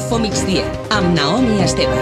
Info Migdia, amb Naomi Esteve.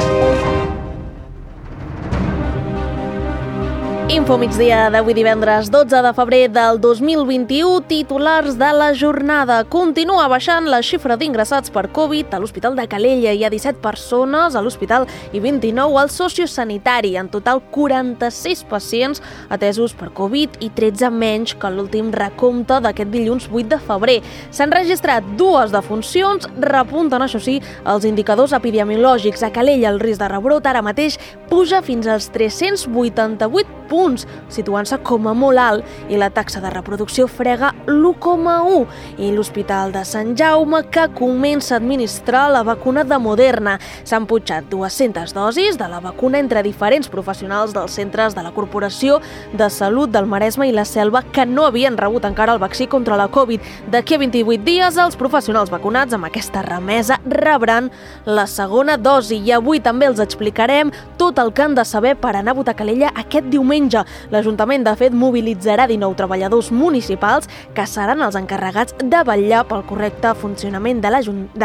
Info Migdia d'avui divendres 12 de febrer del 2021, titulars de la jornada. Continua baixant la xifra d'ingressats per Covid a l'Hospital de Calella. Hi ha 17 persones a l'hospital i 29 al sociosanitari. En total, 46 pacients atesos per Covid i 13 menys que l'últim recompte d'aquest dilluns 8 de febrer. S'han registrat 2 defuncions, repunten, això sí, els indicadors epidemiològics. A Calella el risc de rebrot ara mateix puja fins als 388 punts, situant-se com a molt alt, i la taxa de reproducció frega l'1,1. I l'Hospital de Sant Jaume, que comença a administrar la vacuna de Moderna. S'han putxat 200 dosis de la vacuna entre diferents professionals dels centres de la Corporació de Salut del Maresme i la Selva que no havien rebut encara el vaccí contra la Covid. D'aquí a 28 dies, els professionals vacunats amb aquesta remesa rebran la segona dosi. I avui també els explicarem tot el que han de saber per anar a votar a Calella aquest diumenge. L'Ajuntament, de fet, mobilitzarà 19 treballadors municipals que seran els encarregats de vetllar pel correcte funcionament de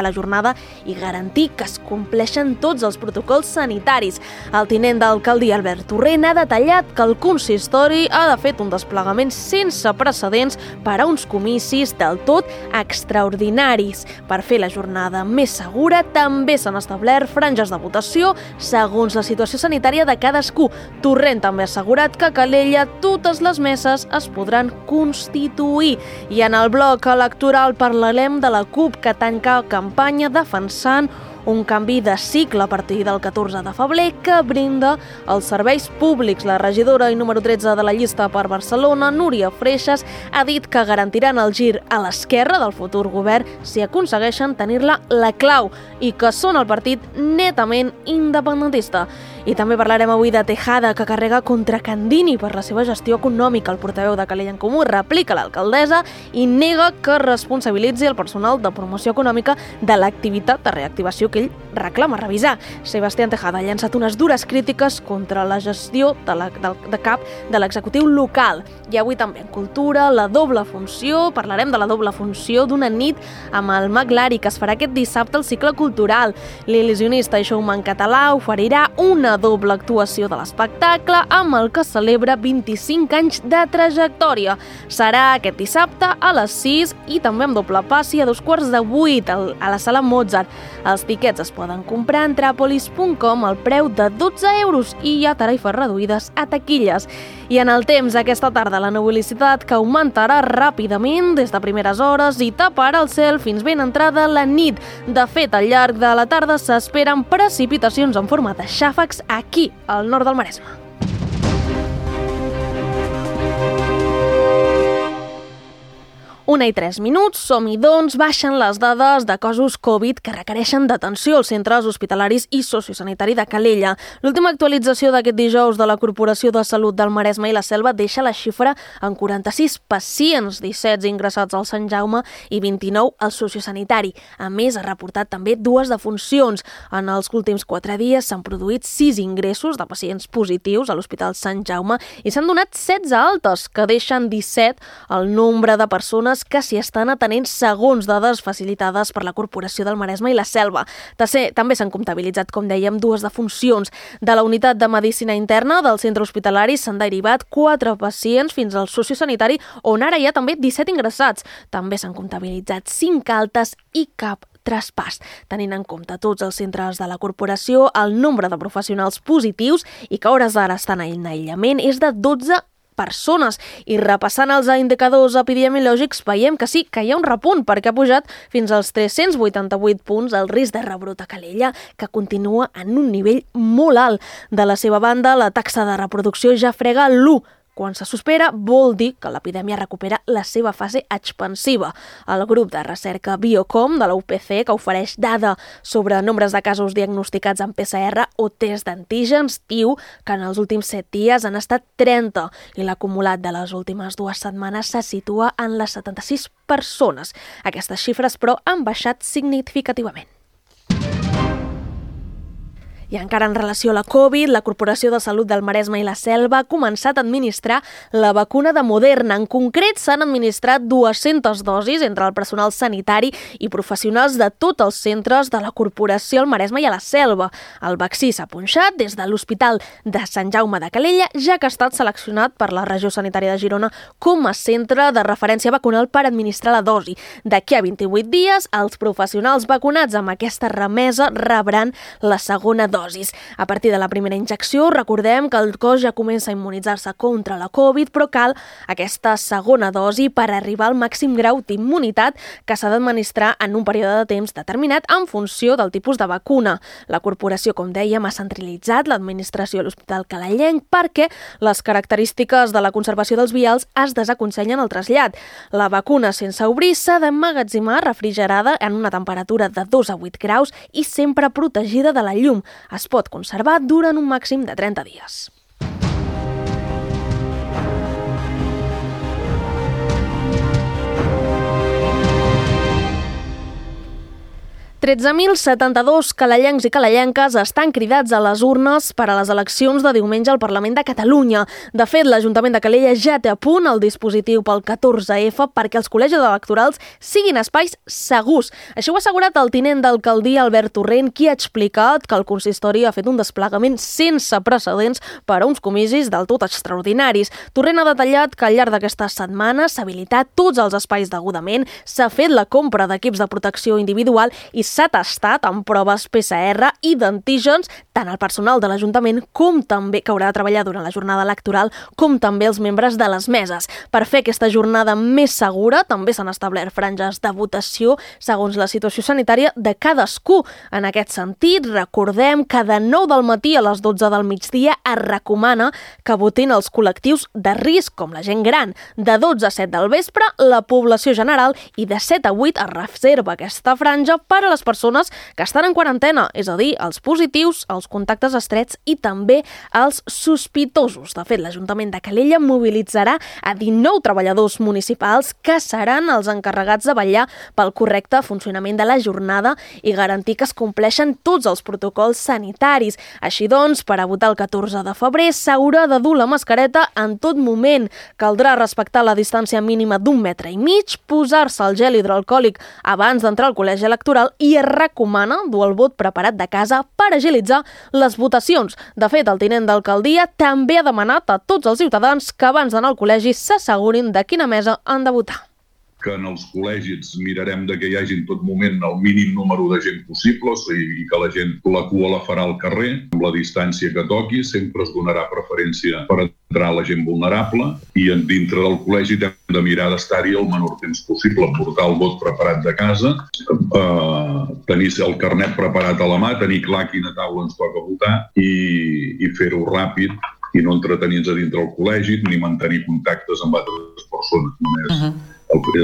la jornada i garantir que es compleixen tots els protocols sanitaris. El tinent d'alcaldia, Albert Torrent, ha detallat que el consistori ha fet un desplegament sense precedents per a uns comicis del tot extraordinaris. Per fer la jornada més segura, també s'han establert franges de votació segons la situació sanitària de cadascú. Torrent també ha assegurat que a Calella totes les meses es podran constituir. I en el bloc electoral parlarem de la CUP, que tanca campanya defensant un canvi de cicle a partir del 14 de febrer que brinda els serveis públics. La regidora i número 13 de la llista per Barcelona, Núria Freixas, ha dit que garantiran el gir a l'esquerra del futur govern si aconsegueixen tenir-la la clau i que són el partit netament independentista. I també parlarem avui de Tejada, que carrega contra Candini per la seva gestió econòmica. El portaveu de Calella en Comú replica l'alcaldessa i nega que responsabilitzi el personal de promoció econòmica de l'activitat de reactivació que ell reclama revisar. Sebastián Tejada ha llançat unes dures crítiques contra la gestió de cap de l'executiu local. I avui també en cultura, la doble funció, parlarem de la doble funció d'una nit amb el Mag Lari, que es farà aquest dissabte al cicle cultural. L'il·lusionista i showman català oferirà una doble actuació de l'espectacle amb el que celebra 25 anys de trajectòria. Serà aquest dissabte a les 6 i també amb doble passi a 7:15 a la sala Mozart. Els tiquets es poden comprar a Entrapolis.com al preu de 12 euros i hi ha tarifes reduïdes a taquilles. I en el temps, aquesta tarda, la nuvolositat que augmentarà ràpidament des de primeres hores i taparà el cel fins ben entrada la nit. De fet, al llarg de la tarda s'esperen precipitacions en forma de xàfecs aquí, al nord del Maresme. 1:03, som-hi doncs, baixen les dades de casos Covid que requereixen d'atenció als centres hospitalaris i sociosanitari de Calella. L'última actualització d'aquest dijous de la Corporació de Salut del Maresme i la Selva deixa la xifra en 46 pacients, 17 ingressats al Sant Jaume i 29 al sociosanitari. A més, ha reportat també 2 defuncions. En els últims 4 dies s'han produït 6 ingressos de pacients positius a l'Hospital Sant Jaume i s'han donat 16 altes, que deixen 17 el nombre de persones que s'hi estan atenent segons dades facilitades per la Corporació del Maresme i la Selva. També s'han comptabilitzat, com dèiem, 2 defuncions. De la unitat de medicina interna del centre hospitalari s'han derivat 4 pacients fins al sociosanitari, on ara hi ha també 17 ingressats. També s'han comptabilitzat 5 altes i cap traspàs. Tenint en compte tots els centres de la corporació, el nombre de professionals positius i que a hores d'ara estan en aïllament és de 12 persones. I repassant els indicadors epidemiològics veiem que sí, que hi ha un repunt, perquè ha pujat fins als 388 punts el risc de rebrot a Calella, que continua en un nivell molt alt. De la seva banda, la taxa de reproducció ja frega l'1. Quan se supera, vol dir que l'epidèmia recupera la seva fase expansiva. El grup de recerca Biocom de la UPC, que ofereix dada sobre nombres de casos diagnosticats en PCR o test d'antígens, diu que en els últims 7 dies han estat 30 i l'acumulat de les últimes 2 setmanes se situa en les 76 persones. Aquestes xifres, però, han baixat significativament. I encara en relació a la Covid, la Corporació de Salut del Maresme i la Selva ha començat a administrar la vacuna de Moderna. En concret, s'han administrat 200 dosis entre el personal sanitari i professionals de tots els centres de la Corporació al Maresme i a la Selva. El vaccí s'ha punxat des de l'Hospital de Sant Jaume de Calella, ja que ha estat seleccionat per la Regió Sanitària de Girona com a centre de referència vacunal per administrar la dosi. D'aquí a 28 dies, els professionals vacunats amb aquesta remesa rebran la segona dosis. A partir de la primera injecció, recordem que el cos ja comença a immunitzar-se contra la Covid, però cal aquesta segona dosi per arribar al màxim grau d'immunitat que s'ha d'administrar en un període de temps determinat en funció del tipus de vacuna. La corporació, com dèiem, ha centralitzat l'administració a l'Hospital Calellenc perquè les característiques de la conservació dels vials es desaconsellen el trasllat. La vacuna sense obrir s'ha d'emmagatzemar refrigerada en una temperatura de 2 a 8 graus i sempre protegida de la llum. Es pot conservar durant un màxim de 30 dies. 13.072 calellencs i calellenques estan cridats a les urnes per a les eleccions de diumenge al Parlament de Catalunya. De fet, l'Ajuntament de Calella ja té a punt el dispositiu pel 14F perquè els col·legis electorals siguin espais segurs. Això ho ha assegurat el tinent d'alcaldia Albert Torrent, qui ha explicat que el consistori ha fet un desplegament sense precedents per a uns comicis del tot extraordinaris. Torrent ha detallat que al llarg d'aquesta setmana s'ha habilitat tots els espais degudament, s'ha fet la compra d'equips de protecció individual i s'ha tastat amb proves PCR i d'antígens tant el personal de l'Ajuntament com també que haurà de treballar durant la jornada electoral com també els membres de les meses. Per fer aquesta jornada més segura també s'han establert franges de votació segons la situació sanitària de cadascú. En aquest sentit, recordem que de 9 del matí a les 12 del migdia es recomana que votin els col·lectius de risc com la gent gran. De 12 a 7 del vespre, la població general i de 7 a 8 es reserva aquesta franja per a les persones que estan en quarantena, és a dir, els positius, els contactes estrets i també els sospitosos. De fet, l'Ajuntament de Calella mobilitzarà a 19 treballadors municipals que seran els encarregats de vetllar pel correcte funcionament de la jornada i garantir que es compleixen tots els protocols sanitaris. Així doncs, per a votar el 14 de febrer s'haurà de dur la mascareta en tot moment. Caldrà respectar la distància mínima d'1,5 metres, posar-se el gel hidroalcohòlic abans d'entrar al col·legi electoral i es recomana dur el vot preparat de casa per agilitzar les votacions. De fet, el tinent d'alcaldia també ha demanat a tots els ciutadans que abans d'anar al col·legi s'assegurin de quina mesa han de votar. Que en els col·legis mirarem que hi hagi en tot moment el mínim número de gent possible, o sigui, que la gent la cua la farà al carrer, amb la distància que toqui, sempre es donarà preferència per entrar la gent vulnerable i dintre del col·legi hem de mirar d'estar-hi el menor temps possible, portar el vot preparat de casa, tenir el carnet preparat a la mà, tenir clar quina taula ens toca votar i fer-ho ràpid i no entretenir-nos a dintre del col·legi ni mantenir contactes amb altres persones. Només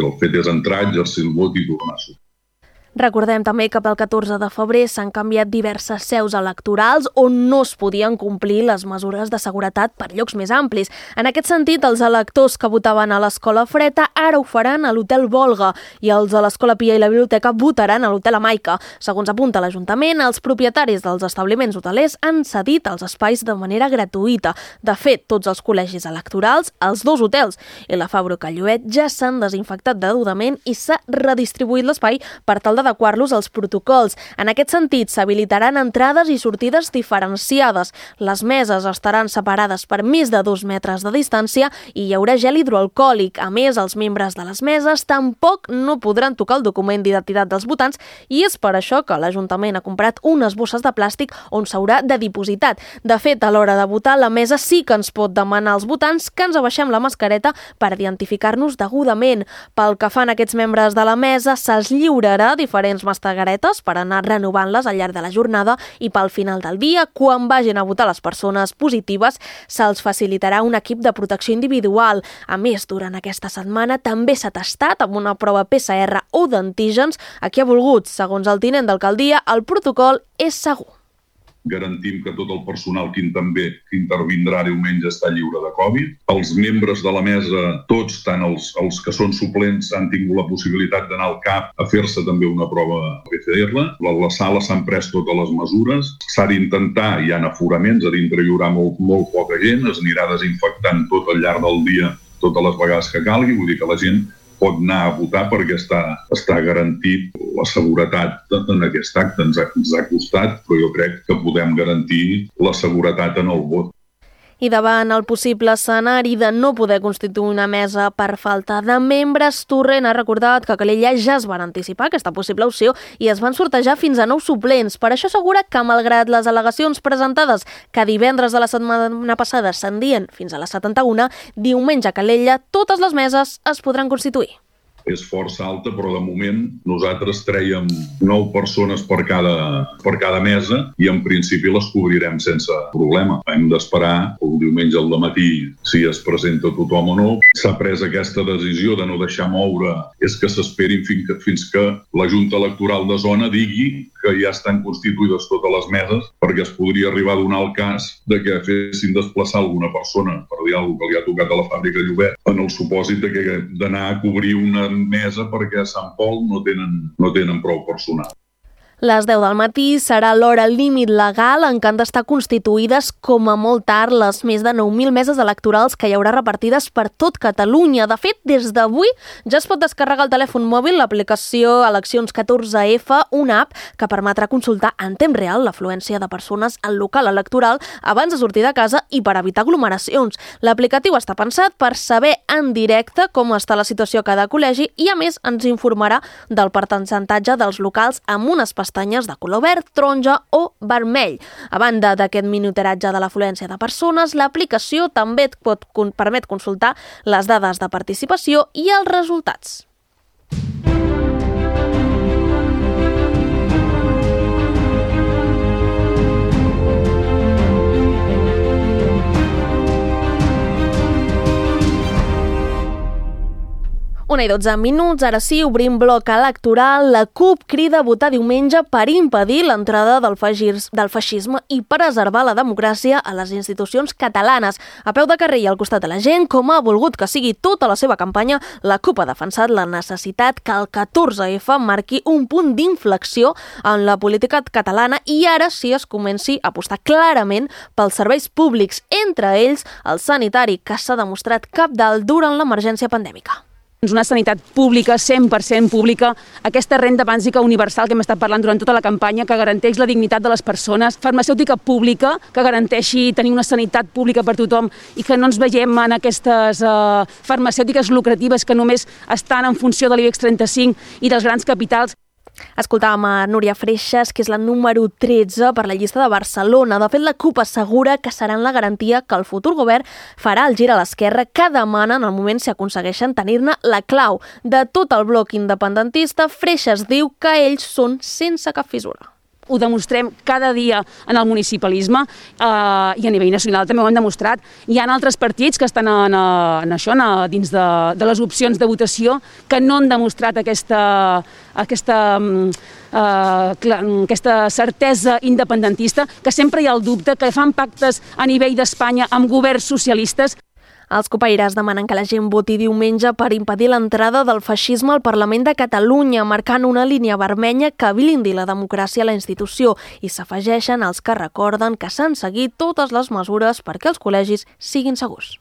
el fet és entrar, exercir el vot i tornar-s'ho. Recordem també que pel 14 de febrer s'han canviat diverses seus electorals on no es podien complir les mesures de seguretat per llocs més amplis. En aquest sentit, els electors que votaven a l'Escola Freta ara ho faran a l'Hotel Volga i els de l'Escola Pia i la Biblioteca votaran a l'Hotel Amaica. Segons apunta l'Ajuntament, els propietaris dels establiments hotelers han cedit els espais de manera gratuïta. De fet, tots els col·legis electorals, els 2 hotels i la Fàbrica Lluet ja s'han desinfectat degudament i s'ha redistribuït l'espai per tal d'adequar-los als protocols. En aquest sentit, s'habilitaran entrades i sortides diferenciades. Les meses estaran separades per més de 2 metres de distància i hi haurà gel hidroalcohòlic. A més, els membres de les meses tampoc no podran tocar el document d'identitat dels votants i és per això que l'Ajuntament ha comprat unes bosses de plàstic on s'haurà de dipositar. De fet, a l'hora de votar, la mesa sí que ens pot demanar als votants que ens abaixem la mascareta per identificar-nos degudament. Pel que fan aquests membres de la mesa, se'ls lliurarà diferents mascaretes per anar renovant-les al llarg de la jornada i pel final del dia, quan vagin a votar les persones positives, se'ls facilitarà un equip de protecció individual. A més, durant aquesta setmana també s'ha tastat amb una prova PCR o d'antígens a qui ha volgut. Segons el tinent d'alcaldia, el protocol és segur. garantim que tot el personal que intervindrà diumenge està lliure de Covid. Els membres de la mesa, tots, tant els que són suplents, han tingut la possibilitat d'anar al CAP a fer-se també una prova PCR. A la sala s'han pres totes les mesures. S'ha d'intentar, hi ha aforaments, a dintre hi haurà molt poca gent, es anirà desinfectant tot al llarg del dia, totes les vegades que calgui, vull dir que la gent pot anar a votar perquè està garantit la seguretat en aquest acte. Ens ha costat, però jo crec que podem garantir la seguretat en el vot. I davant el possible escenari de no poder constituir una mesa per falta de membres, Torrent ha recordat que a Calella ja es van anticipar aquesta possible opció i es van sortejar fins a 9 suplents. Per això assegura que, malgrat les al·legacions presentades que divendres de la setmana passada ascendien fins a les 71, diumenge a Calella totes les meses es podran constituir. És força alta, però de moment nosaltres trèiem 9 persones per cada mesa i en principi les cobrirem sense problema. Hem d'esperar el diumenge al dematí si es presenta tothom o no. S'ha pres aquesta decisió de no deixar moure, és que s'esperin fins que la Junta Electoral de Zona digui que ja estan constituïdes totes les meses, perquè es podria arribar a donar el cas de que fessin desplaçar alguna persona per dir alguna cosa que li ha tocat a la fàbrica Llobet, en el supòsit d'anar a cobrir una mesa perquè a Sant Pol no tenen prou personal. Les 10 del matí serà l'hora límit legal en què han d'estar constituïdes com a molt tard les més de 9.000 meses electorals que hi haurà repartides per tot Catalunya. De fet, des d'avui ja es pot descarregar al telèfon mòbil l'aplicació Eleccions 14F, una app que permetrà consultar en temps real l'afluència de persones al local electoral abans de sortir de casa i per evitar aglomeracions. L'aplicatiu està pensat per saber en directe com està la situació a cada col·legi i, a més, ens informarà del percentatge dels locals amb unes pestanyes de color verd, taronja o vermell. A banda d'aquest monitoratge de l'afluència de persones, l'aplicació també et permet consultar les dades de participació i els resultats. Una i 12 minuts, ara sí, obrim bloc electoral. La CUP crida a votar diumenge per impedir l'entrada del feixisme i preservar la democràcia a les institucions catalanes. A peu de carrer i al costat de la gent, com ha volgut que sigui tota la seva campanya, la CUP ha defensat la necessitat que el 14F marqui un punt d'inflexió en la política catalana i ara sí es comenci a apostar clarament pels serveis públics, entre ells el sanitari, que s'ha demostrat cabdal durant l'emergència pandèmica. Una sanitat pública, 100% pública, aquesta renda bàsica universal que hem estat parlant durant tota la campanya, que garanteix la dignitat de les persones, farmacèutica pública, que garanteixi tenir una sanitat pública per tothom i que no ens veiem en aquestes farmacèutiques lucratives que només estan en funció de l'IBEX 35 i dels grans capitals. Escoltàvem a Núria Freixas, que és la número 13 per la llista de Barcelona. De fet, la CUP assegura que seran la garantia que el futur govern farà el gir a l'esquerra que demana en el moment si aconsegueixen tenir-ne la clau. De tot el bloc independentista, Freixas diu que ells són sense cap fissura. Ho demostrem cada dia en el municipalisme i a nivell nacional també ho hem demostrat. Hi ha altres partits que estan dins de les opcions de votació que no han demostrat aquesta certesa independentista, que sempre hi ha el dubte, que fan pactes a nivell d'Espanya amb governs socialistes. Els copaires demanen que la gent voti diumenge per impedir l'entrada del feixisme al Parlament de Catalunya, marcant una línia vermella que blindi la democràcia a la institució, i s'afegeixen els que recorden que s'han seguit totes les mesures perquè els col·legis siguin segurs.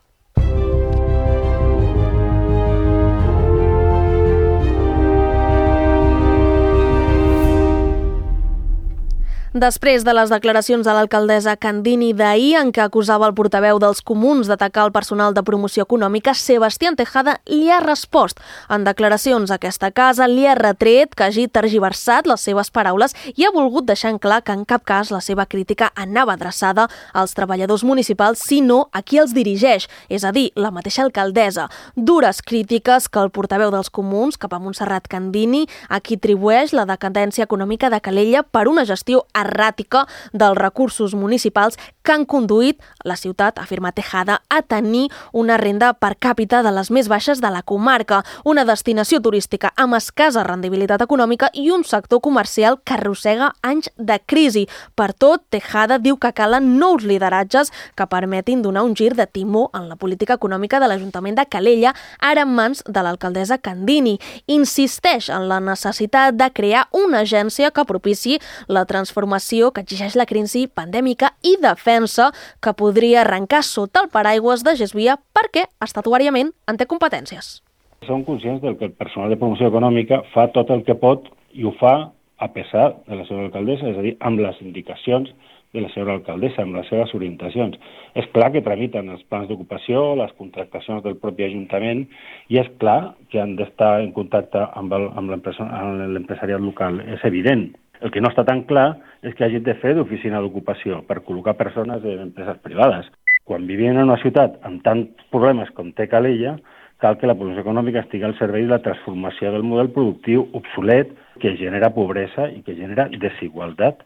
Després de les declaracions de l'alcaldessa Candini d'ahir, en què acusava el portaveu dels comuns d'atacar el personal de promoció econòmica, Sebastián Tejada li ha respost. En declaracions a aquesta casa li ha retret que hagi tergiversat les seves paraules i ha volgut deixar en clar que en cap cas la seva crítica anava adreçada als treballadors municipals, sinó a qui els dirigeix, és a dir, la mateixa alcaldessa. Dures crítiques que el portaveu dels comuns, cap a Montserrat Candini, a qui atribueix la decadència econòmica de Calella per una gestió erràtica dels recursos municipals que han conduït la ciutat, afirma Tejada, a tenir una renda per càpita de les més baixes de la comarca, una destinació turística amb escassa rendibilitat econòmica i un sector comercial que arrossega anys de crisi. Per tot, Tejada diu que calen nous lideratges que permetin donar un gir de timó en la política econòmica de l'Ajuntament de Calella, ara en mans de l'alcaldessa Candini. Insisteix en la necessitat de crear una agència que propici la transformació que exigeix la crisi pandèmica i defensa que podria arrencar sota el paraigües de Gesvia perquè estatutàriament en té competències. Som conscients del que el personal de promoció econòmica fa tot el que pot i ho fa a pesar de la seva alcaldessa, és a dir, amb les indicacions de la seva alcaldessa, amb les seves orientacions. És clar que tramiten els plans d'ocupació, les contractacions del propi Ajuntament, i és clar que han d'estar en contacte amb l'empresariat local. És evident. El que no està tan clar és que hagin de fer d'oficina d'ocupació per col·locar persones en empreses privades. Quan vivim en una ciutat amb tants problemes com té Calella, cal que la promoció econòmica estigui al servei de la transformació del model productiu obsolet que genera pobresa i que genera desigualtat.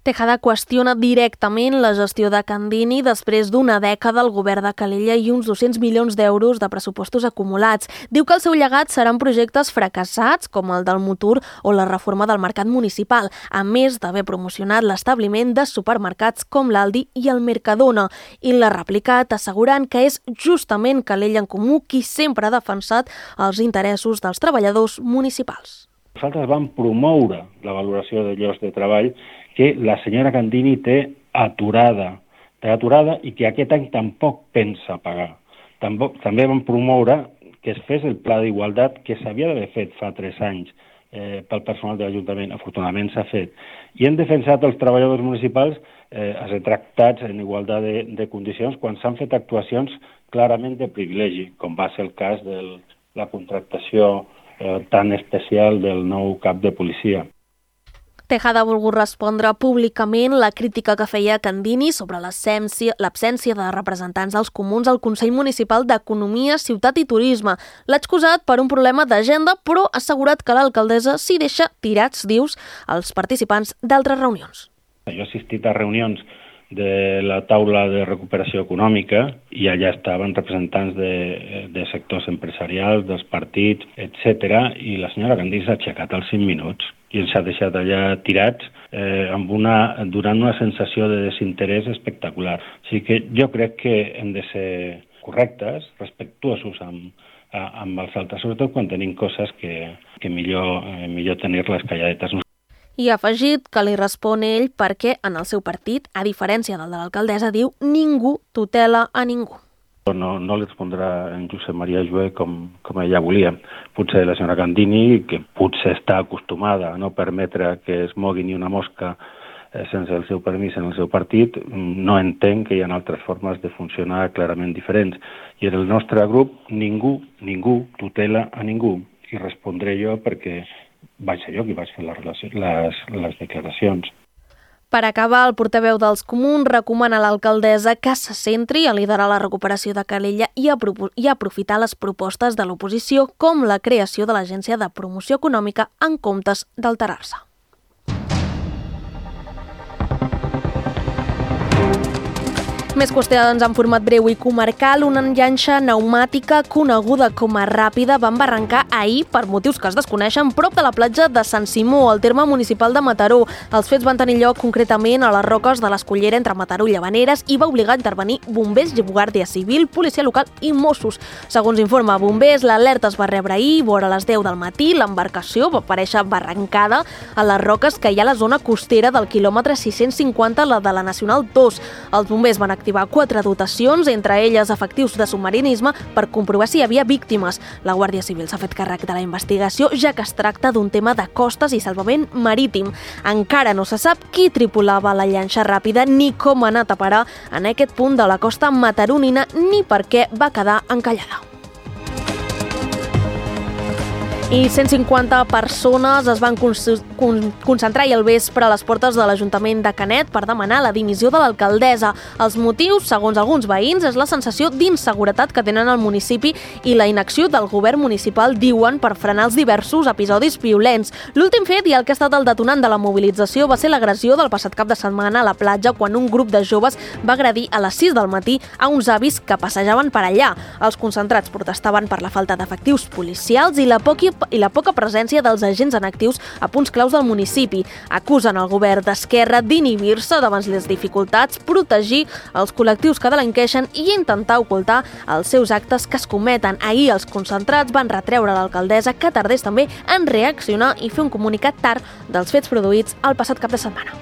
Tejada qüestiona directament la gestió de Candini després d'una dècada al govern de Calella i uns 200 milions d'euros de pressupostos acumulats. Diu que el seu llegat seran projectes fracassats, com el del Motor o la reforma del mercat municipal, a més d'haver promocionat l'establiment de supermercats com l'Aldi i el Mercadona. I l'ha replicat assegurant que és justament Calella en Comú qui sempre ha defensat els interessos dels treballadors municipals. Nosaltres vam promoure la valoració de llocs de treball que la senyora Candini té aturada i que aquest any tampoc pensa pagar. També vam promoure que es fes el pla d'igualtat que s'havia d'haver fet fa 3 anys pel personal de l'Ajuntament. Afortunadament s'ha fet. I hem defensat els treballadors municipals a ser tractats en igualtat de condicions quan s'han fet actuacions clarament de privilegi, com va ser el cas de la contractació tan especial del nou cap de policia. Tejada ha volgut respondre públicament la crítica que feia Candini sobre l'absència de representants dels comuns al Consell Municipal d'Economia, Ciutat i Turisme. L'ha excusat per un problema d'agenda, però ha assegurat que l'alcaldessa s'hi deixa tirats, dius, als participants d'altres reunions. Jo he assistit a reunions de la taula de recuperació econòmica i allà estaven representants de sectors empresarials, dels partits, etc. I la senyora Candini s'ha aixecat als 5 minuts i ens ha deixat allà tirats donant una sensació de desinterès espectacular. O sigui que jo crec que hem de ser correctes, respectuosos amb els altres, sobretot quan tenim coses que millor tenir-les calladetes. I ha afegit que li respon ell perquè en el seu partit, a diferència del de l'alcaldessa, diu ningú tutela a ningú. No li respondrà en Josep Maria Joé com ella volia. Potser la senyora Candini, que potser està acostumada a no permetre que es mogui ni una mosca sense el seu permís en el seu partit, no entén que hi ha altres formes de funcionar clarament diferents. I en el nostre grup ningú tutela a ningú. I respondré jo perquè vaig ser jo qui vaig fer les declaracions. Per acabar, el portaveu dels comuns recomana a l'alcaldessa que se centri a liderar la recuperació de Calella i aprofitar les propostes de l'oposició com la creació de l'Agència de Promoció Econòmica en comptes d'alterar-se. Més qüestions en format breu i comarcal. Una llanxa pneumàtica coneguda com a Ràpida va embarrancar ahir, per motius que es desconeixen, prop de la platja de Sant Simó, al terme municipal de Mataró. Els fets van tenir lloc concretament a les roques de l'Escullera entre Mataró i Llavaneres i va obligar a intervenir bombers, guàrdia civil, policia local i Mossos. Segons informa Bombers, l'alerta es va rebre ahir, vora les 10 del matí. L'embarcació va aparèixer barrancada a les roques que hi ha a la zona costera del quilòmetre 650, la de la Nacional 2. Els bombers van activar 4 dotacions, entre elles efectius de submarinisme, per comprovar si hi havia víctimes. La Guàrdia Civil s'ha fet càrrec de la investigació, ja que es tracta d'un tema de costes i salvament marítim. Encara no se sap qui tripulava la llanxa Ràpida ni com ha anat a parar en aquest punt de la costa mataronina ni per què va quedar encallada. I 150 persones es van concentrar ahir al vespre a les portes de l'Ajuntament de Canet per demanar la dimissió de l'alcaldessa. Els motius, segons alguns veïns, és la sensació d'inseguretat que tenen al municipi i la inacció del govern municipal, diuen, per frenar els diversos episodis violents. L'últim fet i el que ha estat el detonant de la mobilització va ser l'agressió del passat cap de setmana a la platja quan un grup de joves va agredir a les 6 del matí a uns avis que passejaven per allà. Els concentrats protestaven per la falta d'efectius policials i la poca presència dels agents en actius a punts claus del municipi. Acusen el govern d'Esquerra d'inhibir-se davant les dificultats, protegir els col·lectius que delinqueixen i intentar ocultar els seus actes que es cometen. Ahir els concentrats van retreure a l'alcaldessa que tardés també en reaccionar i fer un comunicat tard dels fets produïts el passat cap de setmana.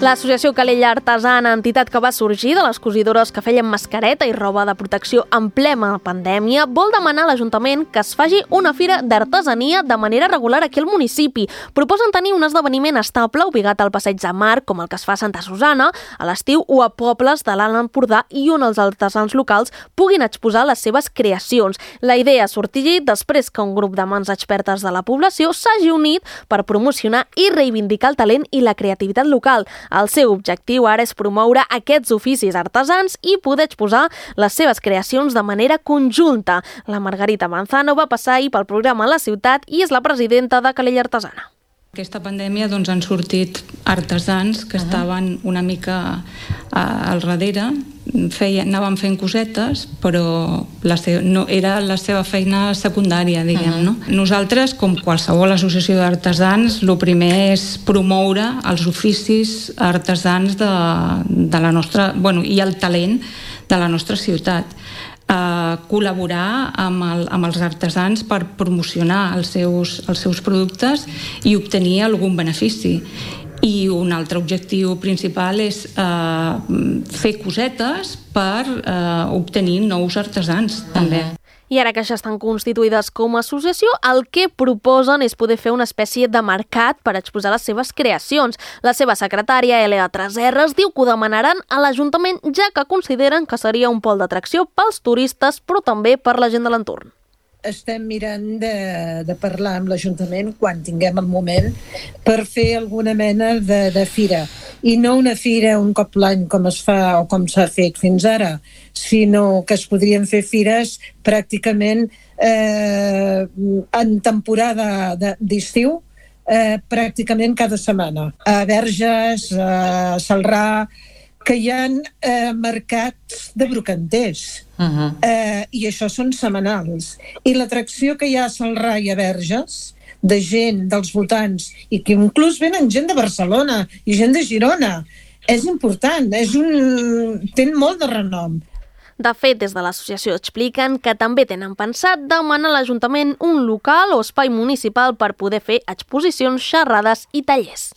L'Associació Calella Artesana, entitat que va sorgir de les cosidores que feien mascareta i roba de protecció en plena pandèmia, vol demanar a l'Ajuntament que es faci una fira d'artesania de manera regular aquí al municipi. Proposen tenir un esdeveniment estable ubicat al Passeig de Mar, com el que es fa a Santa Susana, a l'estiu o a pobles de l'Alt Empordà i on els artesans locals puguin exposar les seves creacions. La idea ha sorgit després que un grup de mans expertes de la població s'hagi unit per promocionar i reivindicar el talent i la creativitat local. El seu objectiu ara és promoure aquests oficis artesans i poder exposar les seves creacions de manera conjunta. La Margarita Manzano va passar ahir pel programa a la ciutat i és la presidenta de Calella Artesana. Aquesta pandèmia han sortit artesans que estaven una mica al darrere, anaven fent cosetes, però no era la seva feina secundària, diguem, no? Nosaltres, com qualsevol associació d'artesans, el primer és promoure els oficis artesans de la nostra, i el talent de la nostra ciutat. Col·laborar amb els artesans per promocionar els seus productes i obtenir algun benefici. I un altre objectiu principal és fer cosetes per obtenir nous artesans, també. I ara que ja estan constituïdes com a associació, el que proposen és poder fer una espècie de mercat per exposar les seves creacions. La seva secretària, Elea Treserres, diu que ho demanaran a l'Ajuntament, ja que consideren que seria un pol d'atracció pels turistes, però també per la gent de l'entorn. Estem mirant de parlar amb l'Ajuntament quan tinguem el moment per fer alguna mena de fira. I no una fira un cop l'any com es fa o com s'ha fet fins ara, sinó que es podrien fer fires pràcticament en temporada d'estiu, pràcticament cada setmana. A Verges, a Celrà, que hi ha mercats de brocanters. I això són setmanals. I l'atracció que hi ha a Celrà i a Verges, de gent dels voltants, i que inclús venen gent de Barcelona i gent de Girona, és important, té molt de renom. De fet, des de l'associació expliquen que també tenen pensat demanar a l'Ajuntament un local o espai municipal per poder fer exposicions, xerrades i tallers.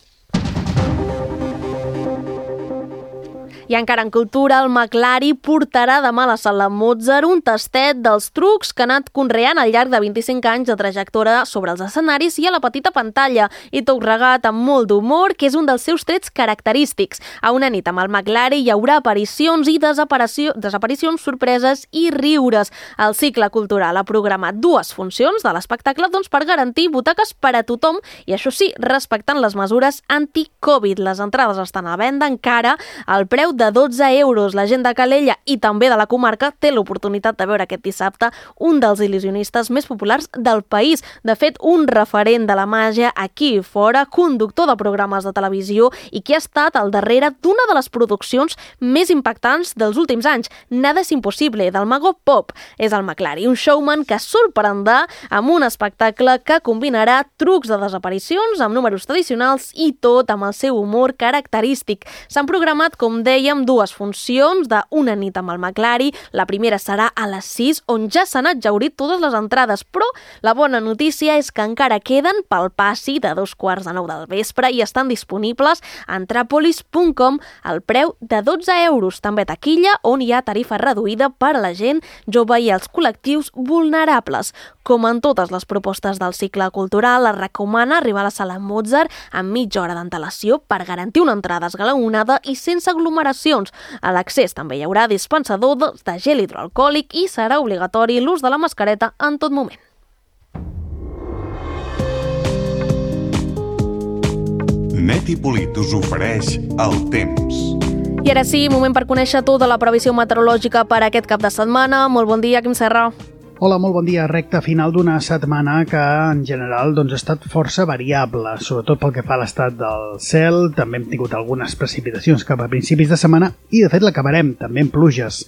I encara en cultura, el McLari portarà demà a la Sala Mozart un tastet dels trucs que ha anat conreant al llarg de 25 anys de trajectòria sobre els escenaris i a la petita pantalla, i tot regat amb molt d'humor, que és un dels seus trets característics. A una nit amb el McLari hi haurà aparicions i desaparicions, sorpreses i riures. El cicle cultural ha programat 2 funcions de l'espectacle per garantir butaques per a tothom i, això sí, respectant les mesures anti-Covid. Les entrades estan a venda encara al preu de 12 euros. La gent de Calella i també de la comarca té l'oportunitat de veure aquest dissabte un dels il·lusionistes més populars del país. De fet, un referent de la màgia aquí i fora, conductor de programes de televisió i que ha estat al darrere d'una de les produccions més impactants dels últims anys, Nada es imposible, del mago Pop. És el McLari, un showman que sorprendrà amb un espectacle que combinarà trucs de desaparicions amb números tradicionals i tot amb el seu humor característic. S'han programat, com deia, amb dues funcions d'una nit amb el McLari. La primera serà a les 6, on ja s'han exhaurit totes les entrades, però la bona notícia és que encara queden pel passi de 8:45 del vespre i estan disponibles a entrapolis.com al preu de 12 euros. També taquilla, on hi ha tarifa reduïda per a la gent jove i els col·lectius vulnerables. Com en totes les propostes del cicle cultural, es recomana arribar a la sala Mozart amb mitja hora d'antelació per garantir una entrada esglaonada i sense aglomeracions. A l'accés també hi haurà dispensador de gel hidroalcohòlic i serà obligatori l'ús de la mascareta en tot moment. Net i Polit us ofereix el temps. I ara sí, moment per conèixer tota la previsió meteorològica per aquest cap de setmana. Molt bon dia, Quim Serra. Hola, molt bon dia. Recta final d'una setmana que en general ha estat força variable, sobretot pel que fa a l'estat del cel. També hem tingut algunes precipitacions cap a principis de setmana i de fet l'acabarem també amb pluges.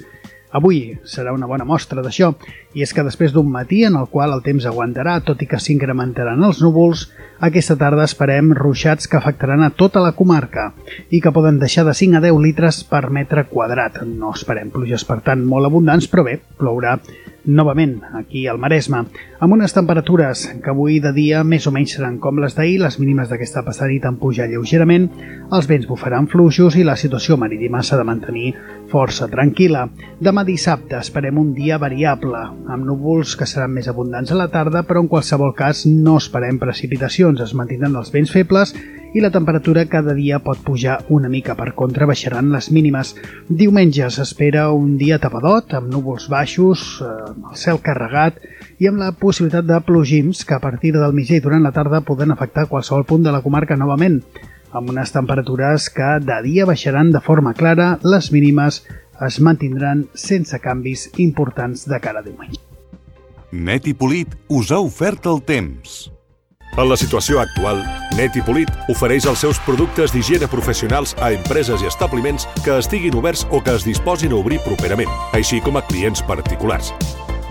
Avui serà una bona mostra d'això, i és que després d'un matí en el qual el temps aguantarà, tot i que s'incrementaran els núvols, aquesta tarda esperem ruixats que afectaran a tota la comarca i que poden deixar de 5 a 10 litres per metre quadrat. No esperem pluges, per tant, molt abundants, però bé, plourà novament aquí al Maresme, amb unes temperatures que avui de dia més o menys seran com les d'ahir. Les mínimes d'aquesta passada nit han pujat lleugerament, els vents bufaran fluixos i la situació marítima s'ha de mantenir força tranquil·la. Demà dissabte esperem un dia variable, amb núvols que seran més abundants a la tarda, però en qualsevol cas no esperem precipitacions. Es mantindran els vents febles i la temperatura cada dia pot pujar una mica. Per contra, baixaran les mínimes. Diumenge s'espera un dia tapadot, amb núvols baixos, el cel carregat i amb la possibilitat de plogims que a partir del migdia i durant la tarda poden afectar qualsevol punt de la comarca novament, amb unes temperatures que de dia baixaran de forma clara. Les mínimes es mantindran sense canvis importants de cara a diumenge. Net i Polit us ha ofert el temps. En la situació actual, Net i Polit ofereix els seus productes d'higiene professionals a empreses i establiments que estiguin oberts o que es disposin a obrir properament, així com a clients particulars.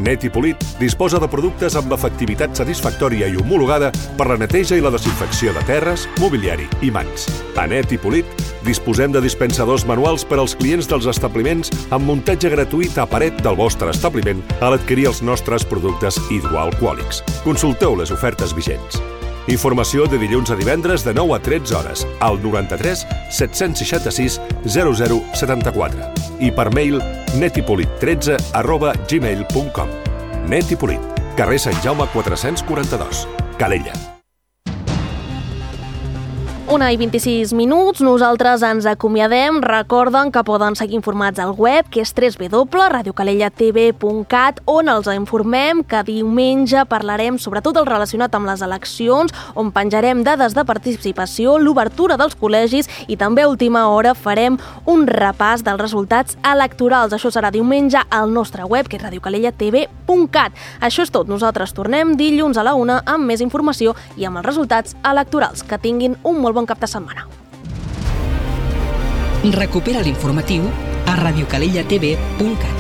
Net i Polit disposa de productes amb efectivitat satisfactòria i homologada per la neteja i la desinfecció de terres, mobiliari i mans. A Net i Polit disposem de dispensadors manuals per als clients dels establiments amb muntatge gratuït a paret del vostre establiment a l'adquirir els nostres productes hidroalcohòlics. Consulteu les ofertes vigents. Informació de dilluns a divendres de 9 a 13 hores al 93 766 0074 i per mail netipolit13@gmail.com. Net i Polit, carrer Sant Jaume 442, Calella. 1:26. Nosaltres ens acomiadem. Recorden que poden seguir informats al web, que és www.radiocalellatv.cat, on els informem que diumenge parlarem sobre tot el relacionat amb les eleccions, on penjarem dades de participació, l'obertura dels col·legis i també a última hora farem un repàs dels resultats electorals. Això serà diumenge al nostre web, que és radiocalellatv.cat. Això és tot. Nosaltres tornem dilluns a la 1 amb més informació i amb els resultats electorals. Que tinguin un molt bon cap de setmana. Recupera l'informatiu a radiocalellatv.cat.